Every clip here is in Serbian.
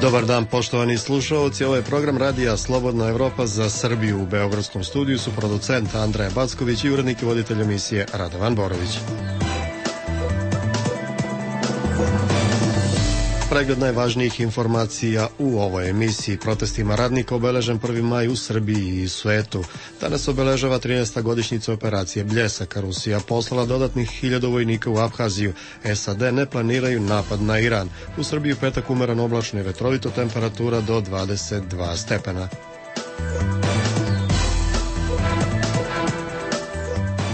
Dobar dan, poštovani slušalci. Ovo je program radija Slobodna Evropa za Srbiju. U beogradskom studiju su producent Andreja Backović i urednik i voditelj emisije Radovan Borović. Pregled najvažnijih informacija u ovoj emisiji. Protestima radnika obeležen 1. maj u Srbiji i svetu. Danas obeležava 13. godišnjica operacije Bljesak. Rusija poslala dodatnih 1000 vojnika u Abhaziju. SAD ne planiraju napad na Iran. U Srbiji u petak umeran oblačno i vetrovito, temperatura do 22 stepena.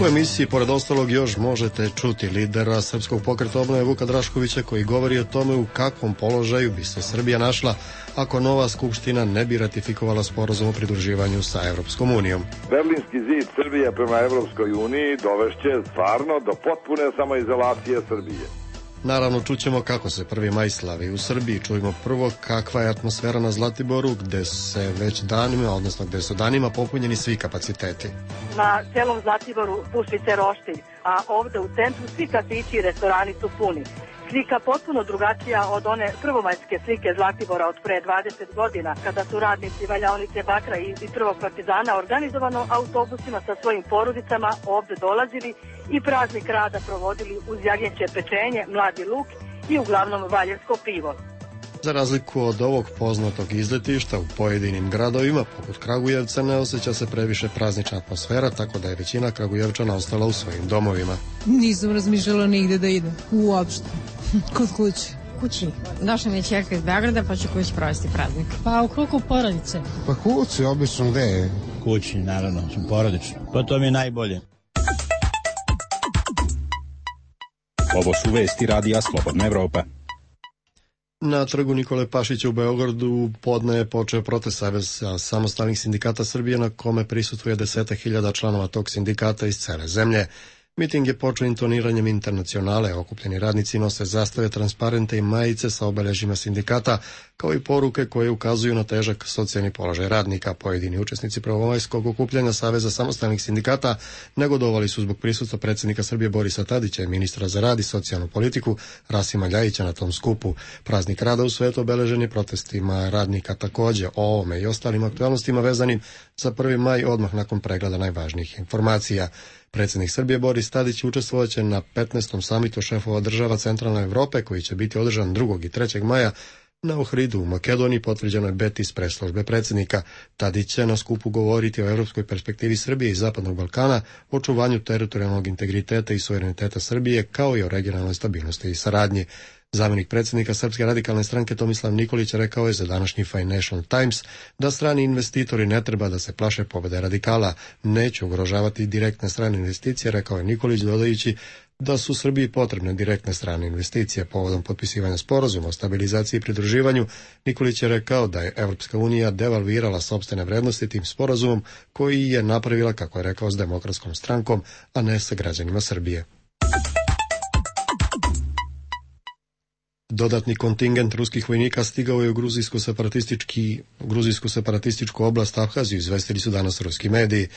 U emisiji, pored ostalog, još možete čuti lidera Srpskog pokreta obnove Vuka Draškovića, koji govori o tome u kakvom položaju bi se Srbija našla ako nova skupština ne bi ratifikovala sporazum o pridruživanju sa Evropskom unijom. Berlinski zid Srbije prema Evropskoj uniji dovešće stvarno do potpune samoizolacije Srbije. Naravno, čućemo kako se 1. maj slavi u Srbiji. Čujemo prvo kakva je atmosfera na Zlatiboru, gde se već danima, odnosno gde su danima popunjeni svi kapaciteti. Na celom Zlatiboru puši se roštilj, a ovde u centru svi kafići i restorani su puni. Slika potpuno drugačija od one prvomajske slike Zlatibora od pre 20 godina, kada su radnici valjaonice Bakra i Prvog partizana organizovano autobusima sa svojim porodicama ovde dolazili i praznik rada provodili uz jagnjeće pečenje, mladi luk i uglavnom valjevsko pivo. Za razliku od ovog poznatog izletišta, u pojedinim gradovima, poput Kragujevca, ne osjeća se previše praznična atmosfera, tako da je većina Kragujevčana ostala u svojim domovima. Nisam razmišljala nigde da idem, uopšte, kod kuće. Kući. Došla mi je čerka iz Beograda, pa ću kući provesti praznik. Pa u krugu porodice. Pa kući, obično gde je? Kući, naravno, porodično. Pa to mi je najbolje. Ovo su vesti radija Slobodna Evropa. Na trgu Nikole Pašića u Beogradu podne je počeo protest Saveza samostalnih sindikata Srbije, na kome prisustvuje 10.000 članova tog sindikata iz cele zemlje. Miting je počeo intoniranjem Internacionale. Okupljeni radnici nose zastave, transparente i majice sa obeležjima sindikata, kao i poruke koje ukazuju na težak socijalni položaj radnika. Pojedini učesnici prvomajskog okupljanja Saveza samostalnih sindikata negodovali su zbog prisustva predsjednika Srbije Borisa Tadića i ministra za rad i socijalnu politiku Rasima Ljajića na tom skupu. Praznik rada u svetu obeležen je protestima radnika. Takođe, o ovome i ostalim aktualnostima vezanim za 1. maj odmah nakon pregleda najvažnijih informacija. Predsjednik Srbije Boris Tadić učestvovaće na 15. samitu šefova država Centralne Evrope, koji će biti održan 2. i 3. maja na Ohridu u Makedoniji, potvrđeno je bet iz presslužbe predsjednika. Tadić će na skupu govoriti o evropskoj perspektivi Srbije i Zapadnog Balkana, očuvanju teritorijalnog integriteta i suvereniteta Srbije, kao i o regionalnoj stabilnosti i saradnji. Zamjenik predsjednika Srpske radikalne stranke Tomislav Nikolić rekao je za današnji Financial Times da strani investitori ne treba da se plaše pobjede radikala. Neće ugrožavati direktne strane investicije, rekao je Nikolić, dodajući da su Srbiji potrebne direktne strane investicije. Povodom potpisivanja sporazuma o stabilizaciji i pridruživanju, Nikolić je rekao da je Evropska unija devalvirala sopstvene vrednosti tim sporazumom, koji je napravila, kako je rekao, s Demokratskom strankom, a ne sa građanima Srbije. Dodatni kontingent ruskih vojnika stigao je u gruzijsku separatističku oblast Abhaziju, izvestili su danas ruski mediji.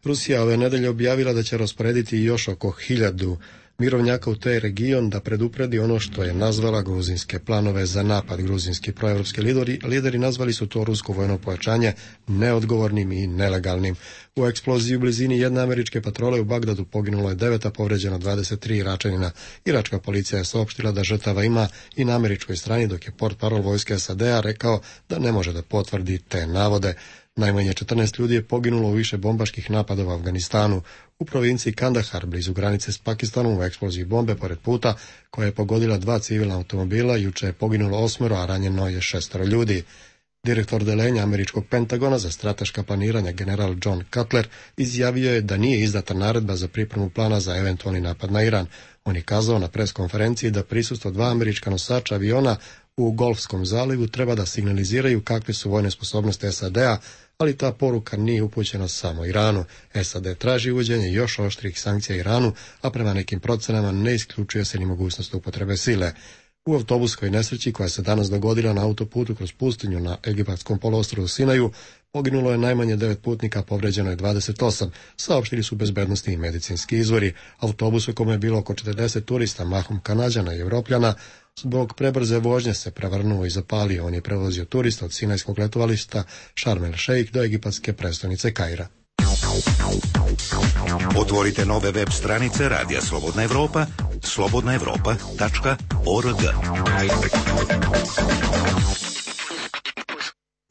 Rusija ove nedelje objavila da će rasporediti još oko 1000 mirovnjaka u taj region da predupredi ono što je nazvala gruzinske planove za napad. Gruzinski proevropski lideri nazvali su to rusko vojno pojačanje neodgovornim i nelegalnim. U eksploziji u blizini jedne američke patrole u Bagdadu poginulo je 9, a povređeno 23 Iračanina. Iračka policija je saopštila da žrtava ima i na američkoj strani, dok je portparol vojske SAD-a rekao da ne može da potvrdi te navode. Najmanje 14 ljudi je poginulo u više bombaških napada u Afganistanu. U provinciji Kandahar, blizu granice s Pakistanom, u eksploziji bombe pored puta, koja je pogodila 2 civilna automobila, juče je poginulo 8, a ranjeno je 6 ljudi. Direktor delenja američkog Pentagona za strateška planiranja, general John Cutler, izjavio je da nije izdata naredba za pripremu plana za eventualni napad na Iran. On je kazao na pres konferenciji da prisustvo 2 američka nosača aviona u Golfskom zalivu treba da signaliziraju kakve su vojne sposobnosti SAD-a, ali ta poruka nije upućena samo Iranu. SAD traži uvođenje još oštrih sankcija Iranu, a prema nekim procenama ne isključuje se ni mogućnost upotrebe sile. U autobuskoj nesreći koja se danas dogodila na autoputu kroz pustinju na Egipatskom poluostrvu Sinaju poginulo je najmanje 9 putnika, povređeno je 28, saopštili su bezbednosti i medicinski izvori. Autobus u kome je bilo oko 40 turista, mahom Kanađana i Evropljana, Zbog prebrze vožnje se prevrnuo i zapalio. On je prevozio turista od Sinajskog letovališta Sharm el Sheikh do egipatske prestonice Kaira. Otvorite nove web stranice Radija Slobodna Evropa, slobodnaevropa.org.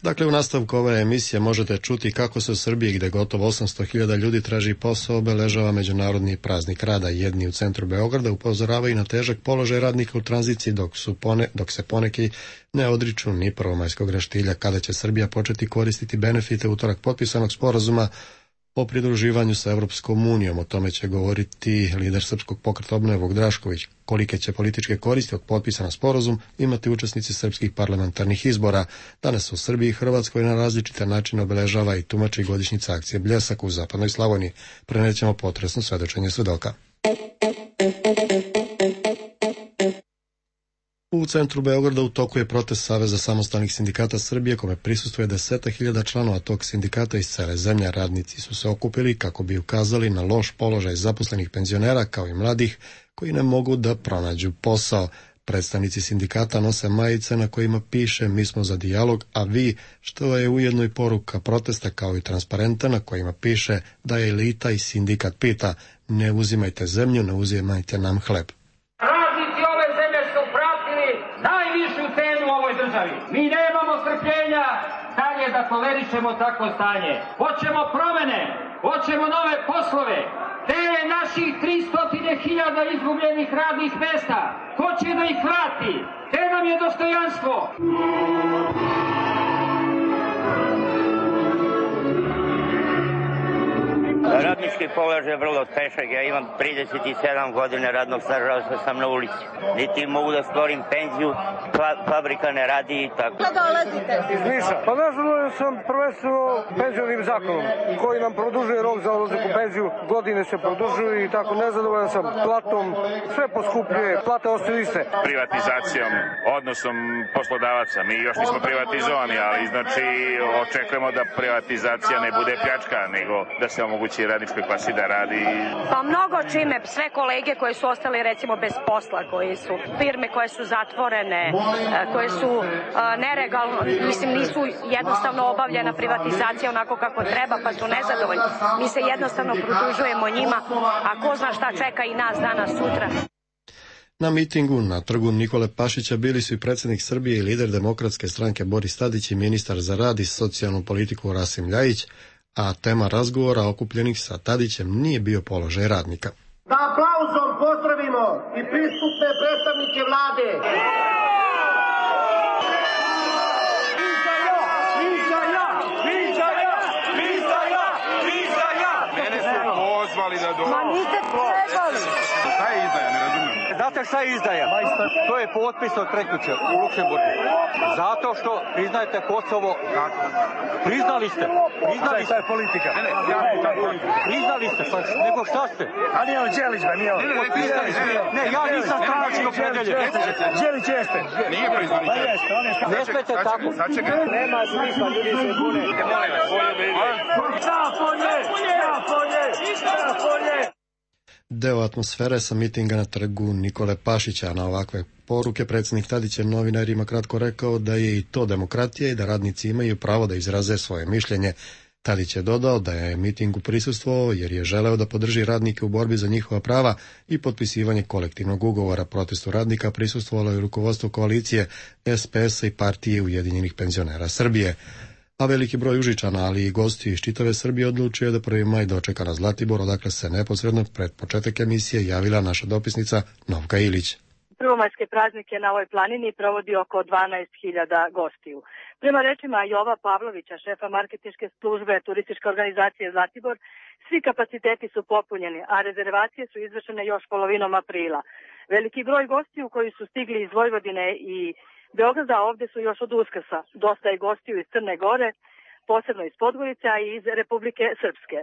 Dakle, u nastavku ove emisije možete čuti kako se u Srbiji, gde gotovo 800.000 ljudi traži posao, obeležava Međunarodni praznik rada. Jedni u centru Beograda upozoravaju na težak položaj radnika u tranziciji, dok se poneki ne odriču ni prvomajskog raštilja. Kada će Srbija početi koristiti benefite utorak potpisanog sporazuma o pridruživanju sa Evropskom unijom? O tome će govoriti lider Srpskog pokreta Obnove Vuk Drašković. Kolike će političke koristi od potpisana sporazum imati učesnici srpskih parlamentarnih izbora? Danas u Srbiji i Hrvatskoj na različite načine obeležava i tumači godišnjica akcije Bljesak u zapadnoj Slavoniji. Prenećemo potresno svedočenje svedoka. U centru Beograda u toku je protest Saveza samostalnih sindikata Srbije, kome prisustvuje 10.000 članova tog sindikata iz cele zemlje. Radnici su se okupili kako bi ukazali na loš položaj zaposlenih penzionera kao i mladih koji ne mogu da pronađu posao. Predstavnici sindikata nose majice na kojima piše "Mi smo za dijalog, a vi", što je ujedno i poruka protesta, kao i transparenta na kojima piše da je elita i sindikat pita: "Ne uzimajte zemlju, ne uzimajte nam hleb." Mi nemamo strpljenja dalje da tolerišemo takvo stanje. Hoćemo promene, hoćemo nove poslove. Te naših 300.000 izgubljenih radnih mesta, ko će da ih vrati? Te nam je dostojanstvo. Radnički položaj je vrlo težak. Ja imam 37 godina radnog staža, što sam na ulici. Niti mogu da stvorim penziju, fabrika ne radi i tako. Kada dolazite? Iz Niša. Pa nažalost sam prvenstveno penzionim zakonom, koji nam produžuje rok za odlazak u penziju. Godine se produžuju i tako nezadovoljan sam platom. Sve poskupljuje, plate ostaju iste. Privatizacijom, odnosom poslodavaca. Mi još nismo privatizovani, ali znači očekujemo da privatizacija ne bude pljačka, nego da se omogući radničkoj klasi da radi. Pa mnogo čime, sve kolege koje su ostali recimo bez posla, koji su firme koje su zatvorene, koje su nelegalno, mislim nisu jednostavno obavljena privatizacija onako kako treba, pa su nezadovoljni. Mi se jednostavno produžujemo njima, a ko zna šta čeka i nas danas sutra. Na mitingu na trgu Nikole Pašića bili su i predsjednik Srbije i lider Demokratske stranke Boris Tadić i ministar za rad i socijalnu politiku Rasim Ljajić, a tema razgovora okupljenih sa Tadićem nije bio položaj radnika. Da aplauzom pozdravimo i pristupne predstavnike vlade. Mene su pozvali da dođu. Ma niste trebali. Šta je izdaja, ne razumijem. Znate šta je izdaja? To je potpis od prekjuče u Luksemburgu. Zato što priznajete Kosovo. Priznali ste. Priznali ste. politika. Priznali ste, pa nego šta ste? A nije on Đelić, ba, nije on. Ne, ja nisam stranački opredeljen. Đelić jeste. Nije priznali. Ne smete tako. Nema smisla, ljudi se bune. Deo atmosfere sa mitinga na trgu Nikole Pašića. Na ovakve poruke predsjednik Tadić je novinarima kratko rekao da je i to demokratija i da radnici imaju pravo da izraze svoje mišljenje. Tadić je dodao da je mitingu prisustvovao jer je želeo da podrži radnike u borbi za njihova prava i potpisivanje kolektivnog ugovora. Protestu radnika prisustvovalo je rukovodstvo koalicije SPS-a i Partije Ujedinjenih penzionera Srbije. A veliki broj Užičana, ali i gosti iz čitave Srbije odlučio je da 1. maj dočeka na Zlatibor, odakle se neposredno pred početak emisije javila naša dopisnica Novka Ilić. Prvomajske praznike na ovoj planini provodi oko 12.000 gostiju. Prema rečima Jova Pavlovića, šefa marketinške službe turističke organizacije Zlatibor, svi kapaciteti su popunjeni, a rezervacije su izvršene još polovinom aprila. Veliki broj gostiju koji su stigli iz Vojvodine i Beograda, ovdje su još od Uskrsa. Dosta je gostiju iz Crne Gore, posebno iz Podgorice, a i iz Republike Srpske.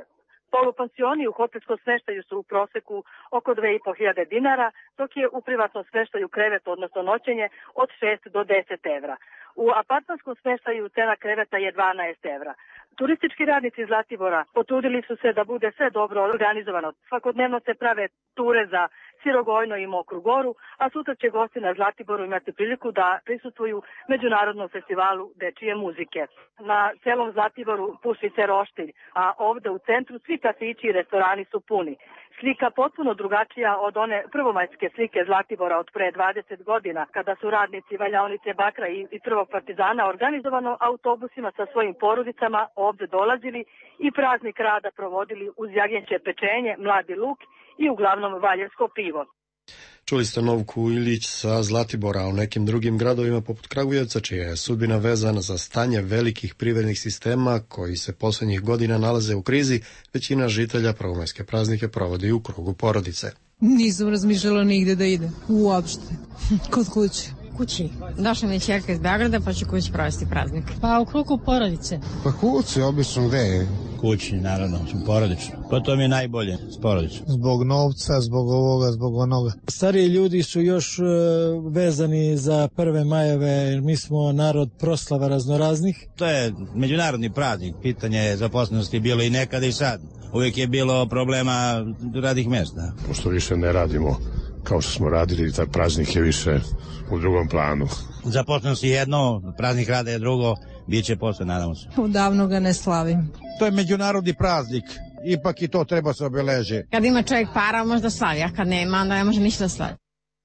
Polupansioni u hotelskom smeštaju su u proseku oko 2.500 dinara, dok je u privatnom smeštaju krevet, odnosno noćenje, od 6 do 10 evra. U apartmanskom smeštaju cena kreveta je 12 evra. Turistički radnici iz Zlatibora potrudili su se da bude sve dobro organizovano. Svakodnevno se prave ture za Sirogojno i Mokru Goru, a sutra će gosti na Zlatiboru imati priliku da prisustvuju Međunarodnom festivalu dečije muzike. Na celom Zlatiboru puši se roštilj, a ovde u centru svi kafići i restorani su puni. Slika potpuno drugačija od one prvomajske slike Zlatibora od pre 20 godina, kada su radnici valjaonice bakra i prvog partizana organizovano autobusima sa svojim porodicama ovde dolazili i praznik rada provodili uz jagnjeće pečenje, mladi luk i uglavnom valjevsko pivo. Čuli ste Novku Ilić sa Zlatibora, a u nekim drugim gradovima poput Kragujevca, čija je sudbina vezana za stanje velikih privrednih sistema koji se poslednjih godina nalaze u krizi, većina žitelja prvomajske praznike provodi u krugu porodice. Nisam razmišljala nigde da ide, uopšte, kod kuće. Kući. Došla mi je ćerka iz Beograda, pa ću kući provesti praznik. Pa u krugu porodice. Pa kući, obično gde je? Kući, naravno, porodično. Pa to mi je najbolje, s porodično. Zbog novca, zbog ovoga, zbog onoga. Stariji ljudi su još vezani za 1. majeve, jer mi smo narod proslava raznoraznih. To je međunarodni praznik, pitanje je zaposlenosti bilo i nekada i sad. Uvijek je bilo problema radnih mjesta. Pošto više ne radimo kao što smo radili, taj praznik je više u drugom planu. Zaposlenost je jedno, praznik rada je drugo, bit će posle, nadamo se. Odavno ga ne slavim. To je međunarodni praznik, ipak i to treba se obeleži. Kad ima čovjek para, možda slavi, a kad nema, onda ne može ništa da slavi.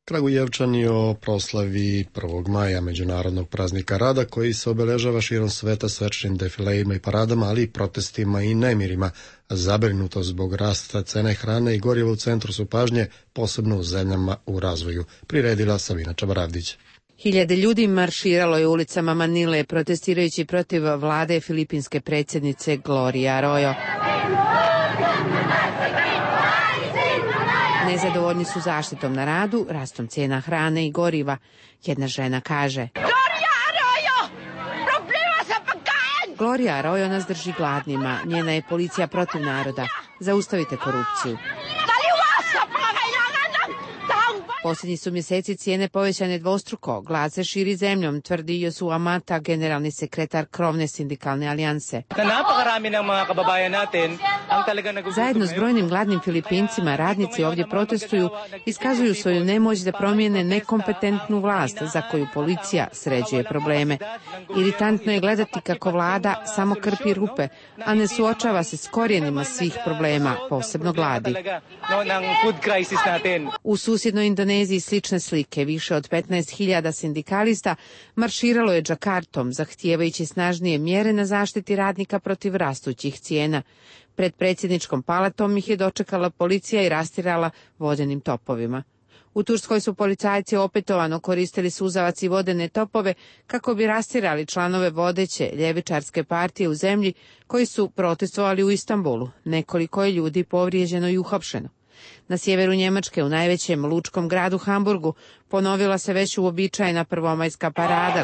Kragujevčani o proslavi 1. maja, međunarodnog praznika rada, koji se obeležava širom sveta svečanim defilejima i paradama, ali i protestima i nemirima. Zabrinutost zbog rasta cene hrane i goriva u centru su pažnje, posebno u zemljama u razvoju, priredila Sabina Čabaravdić. Hiljade ljudi marširalo je ulicama Manile protestirajući protiv vlade filipinske predsjednice Gloria Arroyo. Nezadovoljni su zaštitom na radu, rastom cijena hrane i goriva. Jedna žena kaže: Gloria Arroyo nas drži gladnima, njena je policija protiv naroda. Zaustavite korupciju. Posljednji su mjeseci cijene povećane dvostruko, glad se širi zemljom, tvrdi Josu Amata, generalni sekretar krovne sindikalne alijanse. Zajedno s brojnim gladnim Filipincima, radnici ovdje protestuju, iskazuju svoju nemoć da promijene nekompetentnu vlast za koju policija sređuje probleme. Iritantno je gledati kako vlada samo krpi rupe, a ne suočava se s korijenima svih problema, posebno gladi. U susjednoj Indoneziji slične slike, više od 15.000 sindikalista marširalo je Džakartom, zahtijevajući snažnije mjere na zaštiti radnika protiv rastućih cijena. Pred predsjedničkom palatom ih je dočekala policija i rastirala vodenim topovima. U Turskoj su policajci opetovano koristili suzavac i vodene topove kako bi rastirali članove vodeće ljevičarske partije u zemlji koji su protestovali u Istanbulu. Nekoliko je ljudi povrijeđeno i uhapšeno. Na sjeveru Njemačke, u najvećem lučkom gradu Hamburgu, ponovila se već uobičajena prvomajska parada.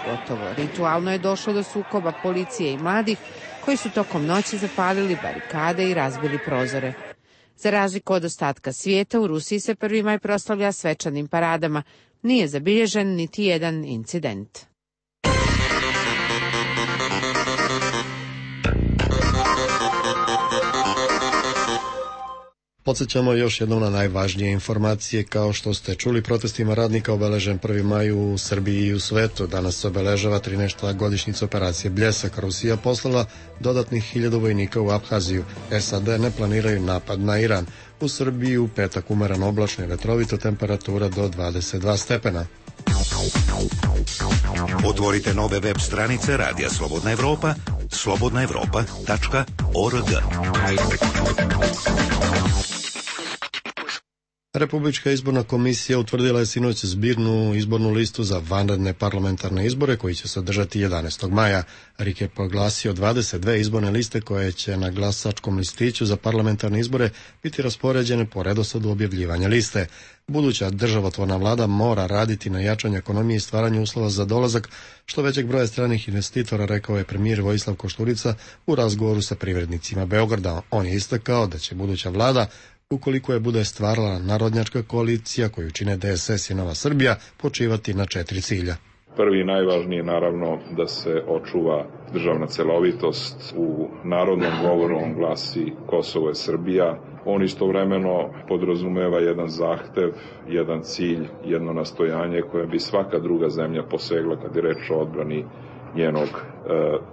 Gotovo ritualno je došlo do sukoba policije i mladih koji su tokom noći zapalili barikade i razbili prozore. Za razliku od ostatka svijeta, u Rusiji se 1. maj proslavlja svečanim paradama. Nije zabilježen niti jedan incident. Podsjećamo još jednom na najvažnije informacije. Kao što ste čuli, protestima radnika obeležen 1. maj u Srbiji i u svetu. Danas se obeležava 13. godišnjica operacije Bljesak. Rusija poslala dodatnih 1000 vojnika u Abhaziju. SAD ne planiraju napad na Iran. U Srbiji u petak umereno oblačno i vetrovito, temperatura do 22 stepena. Otvorite nove web stranice Radija Slobodna Evropa, slobodnaevropa.org. Republička izborna komisija utvrdila je sinoć zbirnu izbornu listu za vanredne parlamentarne izbore koji će se održati 11. maja. RIK je proglasio 22 izborne liste koje će na glasačkom listiću za parlamentarne izbore biti raspoređene po redosledu objavljivanja liste. Buduća državotvorna vlada mora raditi na jačanju ekonomije i stvaranju uslova za dolazak što većeg broja stranih investitora, rekao je premijer Vojislav Košturica u razgovoru sa privrednicima Beograda. On je istakao da će buduća vlada ukoliko je bude stvarala narodnjačka koalicija koju čine DSS i Nova Srbija, počivati na 4 cilja. Prvi i najvažniji je naravno da se očuva državna celovitost. U narodnom govoru on glasi Kosovo je Srbija. On istovremeno podrazumeva jedan zahtev, jedan cilj, jedno nastojanje koje bi svaka druga zemlja posegla kad je reč o odbrani njenog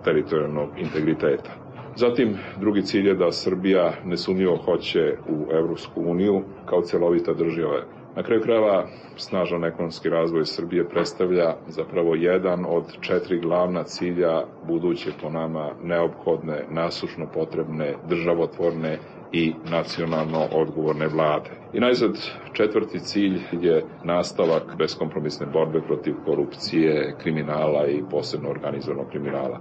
teritorijalnog integriteta. Zatim, drugi cilj je da Srbija nesumnjivo hoće u Evropsku uniju kao celovita država. Na kraju krajeva, snažan ekonomski razvoj Srbije predstavlja zapravo jedan od 4 glavna cilja buduće po nama neophodne, nasušno potrebne, državotvorne i nacionalno odgovorne vlade. I najzad, 4. cilj je nastavak beskompromisne borbe protiv korupcije, kriminala i posebno organizovanog kriminala.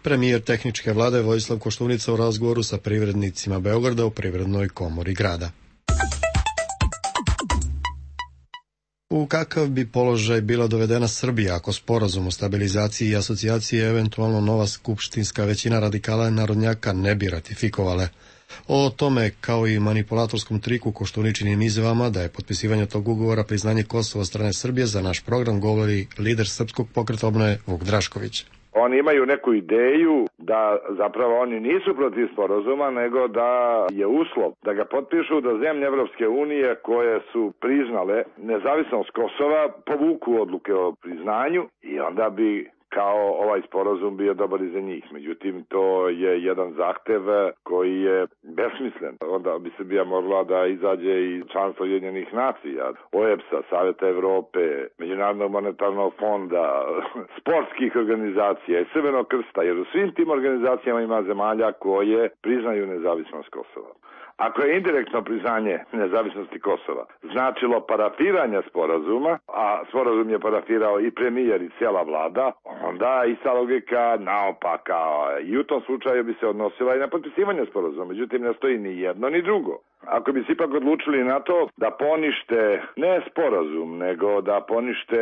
Premijer tehničke vlade Vojislav Koštunica u razgovoru sa privrednicima Beograda u Privrednoj komori grada. U kakav bi položaj bila dovedena Srbija ako sporazum o stabilizaciji i asocijaciji eventualno nova skupštinska većina radikala i narodnjaka ne bi ratifikovale? O tome, kao i manipulatorskom triku Koštuničinim izjavama da je potpisivanje tog ugovora priznanje Kosova od strane Srbije, za naš program govori lider Srpskog pokreta obnove Vuk Drašković. Oni imaju neku ideju da zapravo oni nisu protiv sporazuma, nego da je uslov da ga potpišu da zemlje Evropske unije koje su priznale nezavisnost Kosova povuku odluke o priznanju i onda bi kao ovaj sporazum bio dobar i za njih. Međutim, to je jedan zahtev koji je besmislen. Onda bi Srbija morala da izađe iz članstva Ujedinjenih nacija, OEBS-a, Saveta Evrope, Međunarodnog monetarnog fonda, sportskih organizacija i Crvenog krsta, jer u svim tim organizacijama ima zemalja koje priznaju nezavisnost Kosova. Ako je indirektno priznanje nezavisnosti Kosova značilo parafiranje sporazuma, a sporazum je parafirao i premijer i cijela vlada, onda ista logika naopaka i u tom slučaju bi se odnosila i na potpisivanje sporazuma. Međutim, ne stoji ni jedno ni drugo. Ako bi se ipak odlučili na to da ponište ne sporazum, nego da ponište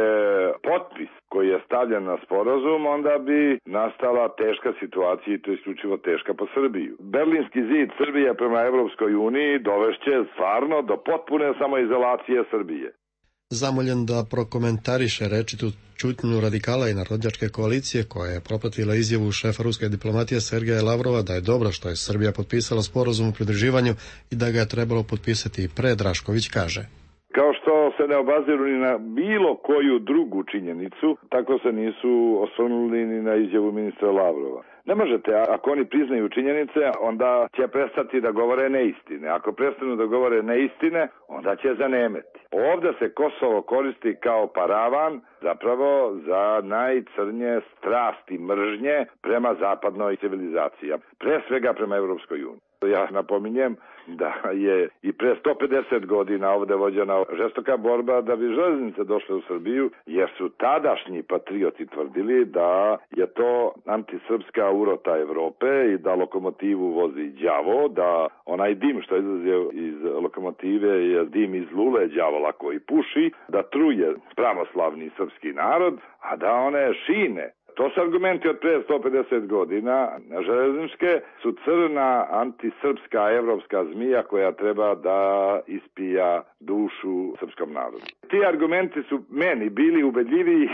potpis koji je stavljen na sporazum, onda bi nastala teška situacija i to je isključivo teška po Srbiju. Berlinski zid Srbije prema Evropskoj uniji dovešće stvarno do potpune samoizolacije Srbije. Zamoljen da prokomentariše rečitu ćutnju radikala i narodnjačke koalicije koja je propratila izjavu šefa ruske diplomatije Sergeja Lavrova da je dobro što je Srbija potpisala sporazum o pridruživanju i da ga je trebalo potpisati i pre, Drašković kaže. Kao što se ne obaziru ni na bilo koju drugu činjenicu, tako se nisu osvrnuli ni na izjavu ministra Lavrova. Ne možete, ako oni priznaju činjenice, onda će prestati da govore neistine. Ako prestanu da govore neistine, onda će zanemeti. Ovdje se Kosovo koristi kao paravan zapravo za najcrnje strasti mržnje prema zapadnoj civilizaciji, pre svega prema Evropskoj uniji. Ja napominjem da je i pre 150 godina ovdje vođena žestoka borba da bi železnice došle u Srbiju, jer su tadašnji patrioti tvrdili da je to antisrpska urota Evrope i da lokomotivu vozi đavo, da onaj dim što izlazi iz lokomotive je dim iz lule đavola koji puši, da truje pravoslavni srpski narod, a da one šine, to su argumenti od pre 150 godina, železničke su crna antisrpska evropska zmija koja treba da ispija dušu srpskom narodu. Ti argumenti su meni bili ubedljiviji,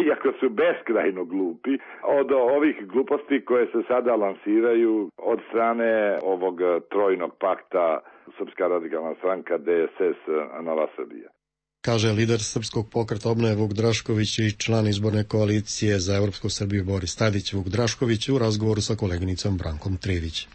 iako su beskrajno glupi, od ovih gluposti koje se sada lansiraju od strane ovog trojnog pakta Srpska radikalna stranka, DSS, Nova Srbija. Kaže lider Srpskog pokreta obnove Vuk Drašković i član izborne koalicije za Evropsku Srbiju Boris Tadić. Vuk Drašković u razgovoru sa koleginicom Brankom Trivić.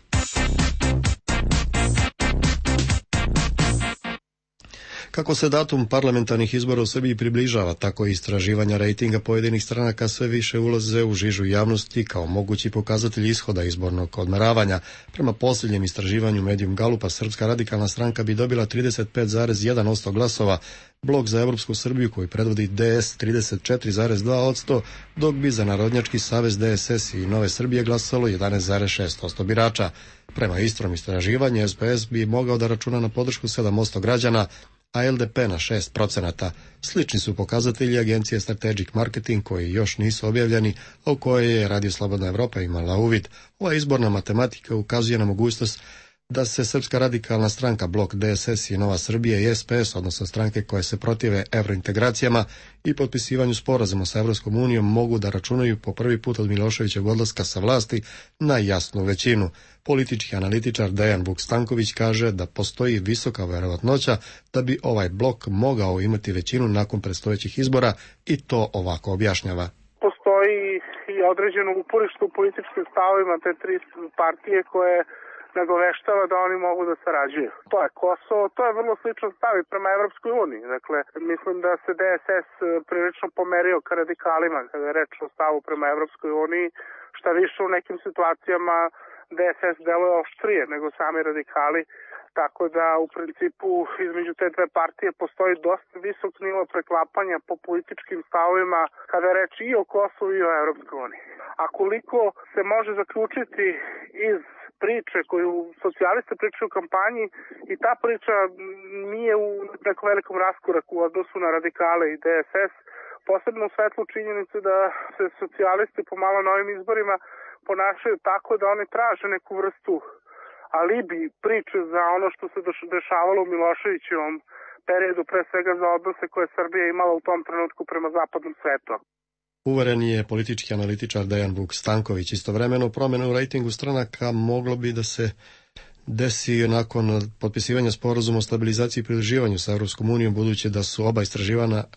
Kako se datum parlamentarnih izbora u Srbiji približava, tako i istraživanja rejtinga pojedinih stranaka sve više ulaze u žižu javnosti kao mogući pokazatelj ishoda izbornog odmeravanja. Prema posljednjem istraživanju Medium Galupa, Srpska radikalna stranka bi dobila 35,1% glasova, Blok za Evropsku Srbiju koji predvodi DS 34,2%, dok bi za Narodnjački savez DSS i Nove Srbije glasalo 11,6% birača. Prema istrom istraživanju, SPS bi mogao da računa na podršku 7% građana, a LDP na 6%. Slični su pokazatelji agencije Strategic Marketing koji još nisu objavljeni, a u koje je Radio Slobodna Evropa imala uvid. Ova izborna matematika ukazuje na mogućnost da se Srpska radikalna stranka, Blok DSS i Nova Srbija i SPS, odnosno stranke koje se protive evrointegracijama i potpisivanju sporazuma sa Evropskom unijom, mogu da računaju po prvi put od Miloševićeg odlaska sa vlasti na jasnu većinu. Politički analitičar Dejan Vuk-Stanković kaže da postoji visoka verovatnoća da bi ovaj blok mogao imati većinu nakon predstojećih izbora i to ovako objašnjava. Postoji i određeno uporište u političkim stavovima te tri partije koje nagoveštava da oni mogu da sarađuju. To je Kosovo, to je vrlo slično stav i prema Evropskoj uniji. Dakle, mislim da se DSS prilično pomerio ka radikalima kada je reč o stavu prema Evropskoj uniji, šta više u nekim situacijama DSS deluje oštrije nego sami radikali, tako da u principu između te dve partije postoji dosta visok nivo preklapanja po političkim stavovima kada je reč i o Kosovu i o Evropskoj uniji. A koliko se može zaključiti iz priče koju socijaliste pričaju u kampanji, i ta priča nije u nekom velikom raskoraku u odnosu na radikale i DSS, posebno u svetlu činjenicu da se socijalisti pomalo na ovim izborima ponašaju tako da oni traže neku vrstu alibi priče za ono što se dešavalo u Miloševićevom periodu, pre svega za odnose koje Srbija imala u tom trenutku prema zapadnom svetu. Uveren je politički analitičar Dejan Vuk-Stanković. Istovremeno promjena u rejtingu stranaka moglo bi da se desi nakon potpisivanja sporazuma o stabilizaciji i pridruživanju sa Evropskom unijom, budući da su oba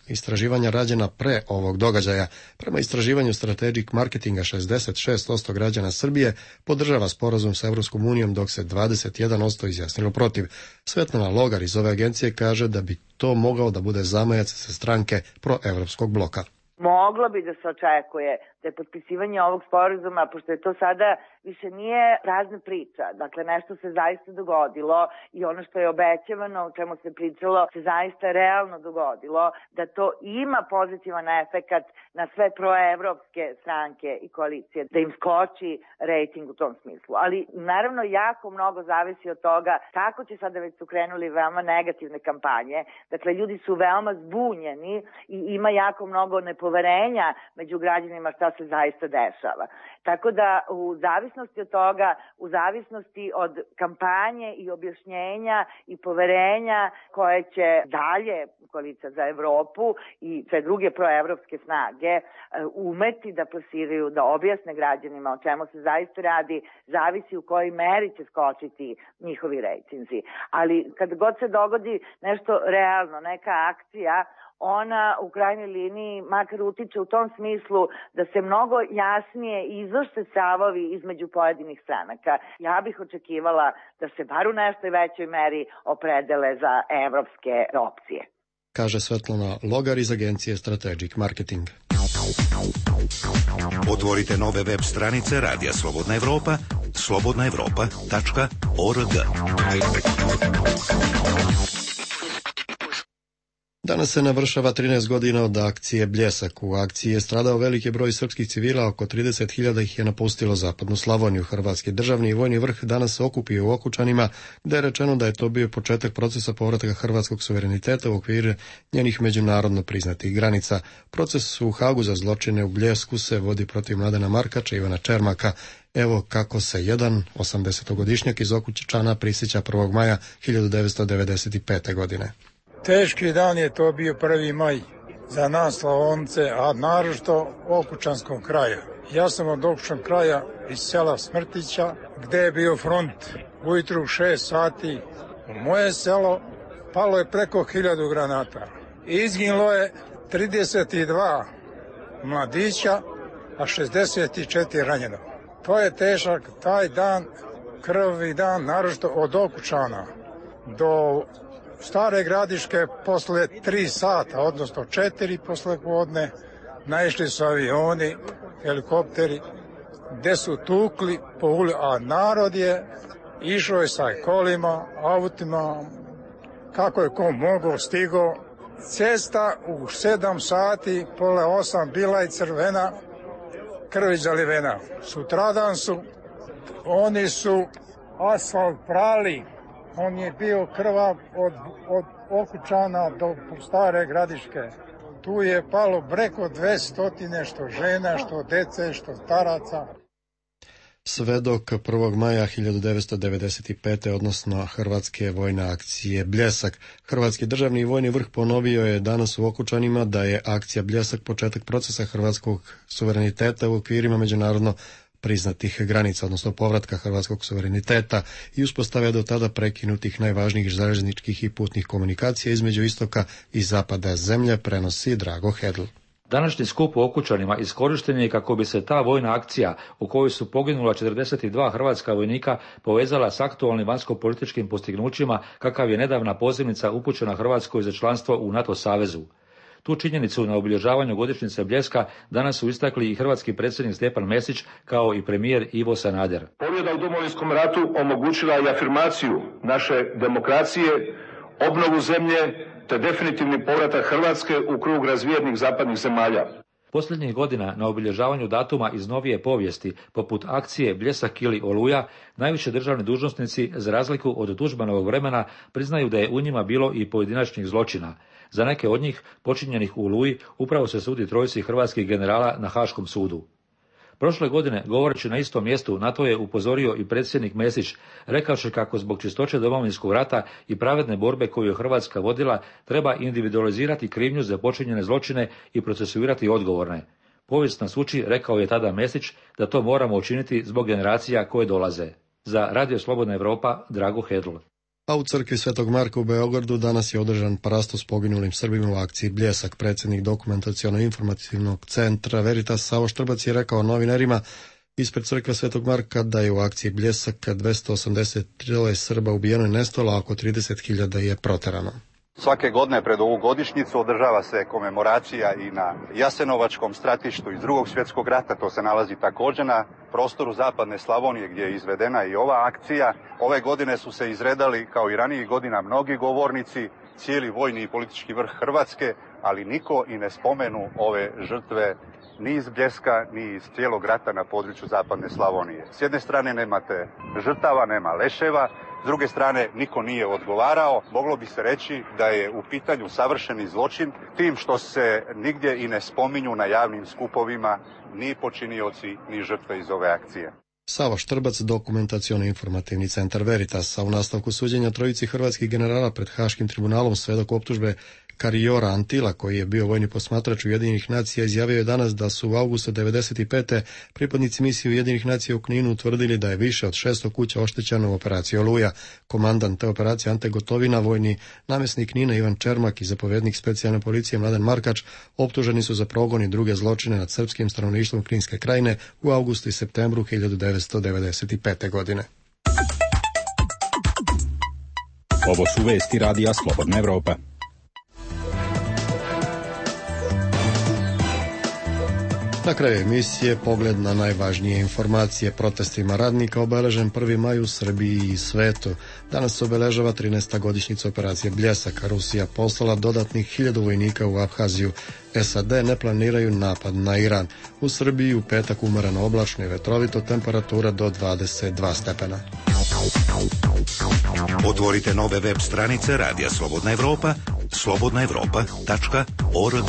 istraživanja rađena pre ovog događaja. Prema istraživanju Strategic Marketinga 66% građana Srbije podržava sporazum sa Evropskom unijom, dok se 21% izjasnilo protiv. Svetlana Logar iz ove agencije kaže da bi to mogao da bude zamajac sa stranke proevropskog bloka. Moglo bi da se očekuje da je potpisivanje ovog sporazuma, pošto je to sada više nije prazna priča, dakle nešto se zaista dogodilo i ono što je obećavano, o čemu se pričalo, se zaista realno dogodilo, da to ima pozitivan efekat na sve proevropske stranke i koalicije, da im skoči rejting u tom smislu. Ali naravno jako mnogo zavisi od toga kako će sada, već su krenuli veoma negativne kampanje, dakle ljudi su veoma zbunjeni i ima jako mnogo nepoverenja među građanima šta se zaista dešava. Tako da u zavisnosti od toga, u zavisnosti od kampanje i objašnjenja i poverenja koje će dalje koalicija za Evropu i sve druge proevropske snage umeti da plasiraju, da objasne građanima o čemu se zaista radi, zavisi u kojoj meri će skočiti njihovi rejtinzi. Ali kad god se dogodi nešto realno, neka akcija, ona u krajnjoj liniji makar utiče u tom smislu da se mnogo jasnije izvrše stavovi između pojedinih stranaka. Ja bih očekivala da se bar u nešto većoj meri opredele za evropske opcije. Kaže Svetlana Logar iz agencije Strategic Marketing. Otvorite nove web stranice Radija Slobodna Evropa, slobodnaevropa.org. Danas se navršava 13 godina od akcije Bljesak. U akciji je stradao veliki broj srpskih civila, oko 30.000 ih je napustilo zapadnu Slavoniju. Hrvatski državni i vojni vrh danas se okupio u Okučanima, gde je rečeno da je to bio početak procesa povratka hrvatskog suvereniteta u okviru njenih međunarodno priznatih granica. Proces u Hagu za zločine u Bljesku se vodi protiv Mladena Markača i Ivana Čermaka. Evo kako se jedan 80-godišnjak iz Okučana prisjeća 1. maja 1995. godine. Teški dan je to bio 1. maj za nas Slavonce, a naročito Okučanskog kraja. Ja sam od Okučanog kraja iz sela Smrtića, gde je bio front. Ujutru u 6 sati u moje selo palo je preko 1000 granata. Izginulo je 32 mladića, a 64 ranjeno. To je težak taj dan, krvavi dan, naročito od Okučana do Stare Gradiške posle 3 sata, odnosno 4 posle podne, naišli su avioni, helikopteri, gde su tukli po ulici, a narod je išao sa kolima, autima, kako je ko mogao, stigao. Cesta u 7 sati, pola 8, bila je crvena, krvi zalivena. Sutradan oni su asfalt prali. On je bio krvav od Okučana do Stare Gradiške. Tu je palo preko 200 što žena, što dece, što staraca. sve dok 1. maja 1995. odnosno Hrvatske vojne akcije Bljesak. Hrvatski državni vojni vrh ponovio je danas u Okučanima da je akcija Bljesak početak procesa hrvatskog suvereniteta u okvirima međunarodno priznatih granica, odnosno povratka hrvatskog suvereniteta i uspostave do tada prekinutih najvažnijih željezničkih i putnih komunikacija između istoka i zapada zemlje, prenosi Drago Hedl. Današnji skup u Okučanima iskorišten je kako bi se ta vojna akcija u kojoj su poginula 42 hrvatska vojnika povezala s aktualnim vanjsko-političkim postignućima kakav je nedavna pozivnica upućena Hrvatskoj za članstvo u NATO savezu. Tu činjenicu na obilježavanju godišnjice Bljeska danas su istakli i hrvatski predsjednik Stjepan Mesić kao i premijer Ivo Sanader. Pobjeda u Domovinskom ratu omogućila je afirmaciju naše demokracije, obnovu zemlje te definitivni povratak Hrvatske u krug razvijenih zapadnih zemalja. Posljednjih godina na obilježavanju datuma iz novije povijesti, poput akcije Bljesak ili Oluja, najviše državni dužnosnici, za razliku od Tuđmanovog vremena, priznaju da je u njima bilo i pojedinačnih zločina. Za neke od njih, počinjenih u Oluji, upravo se sudi trojici hrvatskih generala na Haškom sudu. Prošle godine, govoreći na istom mjestu, na to je upozorio i predsjednik Mesić, rekavši kako zbog čistoće Domovinskog rata i pravedne borbe koju je Hrvatska vodila, treba individualizirati krivnju za počinjene zločine i procesuirati odgovorne. Povijest nas uči, rekao je tada Mesić, da to moramo učiniti zbog generacija koje dolaze. Za Radio Slobodna Evropa, Drago Hedl. A u crkvi Svetog Marka u Beogradu danas je održan parastos poginulim Srbima u akciji Bljesak. Predsjednik dokumentaciono-informativnog centra Veritas Savo Štrbac je rekao novinarima ispred crkve Svetog Marka da je u akciji Bljesak 283 Srba ubijeno i nestalo, a oko 30.000 je proterano. Svake godine pred ovu godišnjicu održava se komemoracija i na Jasenovačkom stratištu iz Drugog svjetskog rata. To se nalazi također na prostoru zapadne Slavonije gdje je izvedena i ova akcija. Ove godine su se izredali kao i ranijih godina mnogi govornici, cijeli vojni i politički vrh Hrvatske, ali niko i ne spomenu ove žrtve ni iz Bljeska, ni iz cijelog rata na području zapadne Slavonije. S jedne strane nemate žrtava, nema leševa, s druge strane niko nije odgovarao. Moglo bi se reći da je u pitanju savršeni zločin, tim što se nigdje i ne spominju na javnim skupovima ni počinioci, ni žrtve iz ove akcije. Savo Štrbac, dokumentaciono-informativni centar Veritas, a u nastavku suđenja trojici hrvatskih generala pred Haškim tribunalom svedok optužbe Kariora Antila, koji je bio vojni posmatrač Ujedinjenih nacija, izjavio je danas da su u avgustu 1995. pripadnici misije Ujedinjenih nacija u Kninu utvrdili da je više od 600 kuća oštećeno u operaciji Oluja. Komandant te operacije Ante Gotovina, vojni namjesnik Knina Ivan Čermak i zapovjednik specijalne policije Mladen Markač optuženi su za progon i druge zločine nad srpskim stanovništvom Kninske krajine u avgustu i septembru 1995. godine. Ovo su vesti Radija Slobodna Evropa. Na kraju emisije pogled na najvažnije informacije. Protestima radnika obeležen 1. maj u Srbiji i svetu. Danas se obeležava 13. godišnjica operacije Bljesak. Rusija poslala dodatnih 1000 vojnika u Abhaziju. SAD ne planiraju napad na Iran. U Srbiji u petak umereno oblačno i vetrovito, temperatura do 22 stepena. Otvorite nove web stranice Radija Slobodna Evropa, slobodnaevropa.org.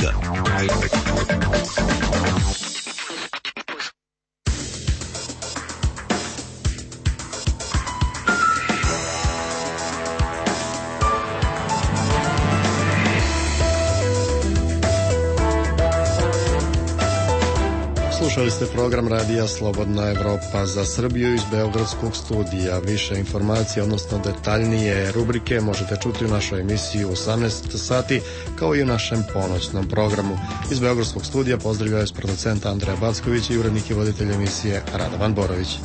Slušali ste program Radija Slobodna Evropa za Srbiju iz Beogradskog studija. Više informacija, odnosno detaljnije rubrike, možete čuti u našoj emisiji u 18 sati, kao i u našem ponoćnom programu. Iz Beogradskog studija pozdravljaju s producenta Andreja Backović i urednik i voditelj emisije Radovan Borović.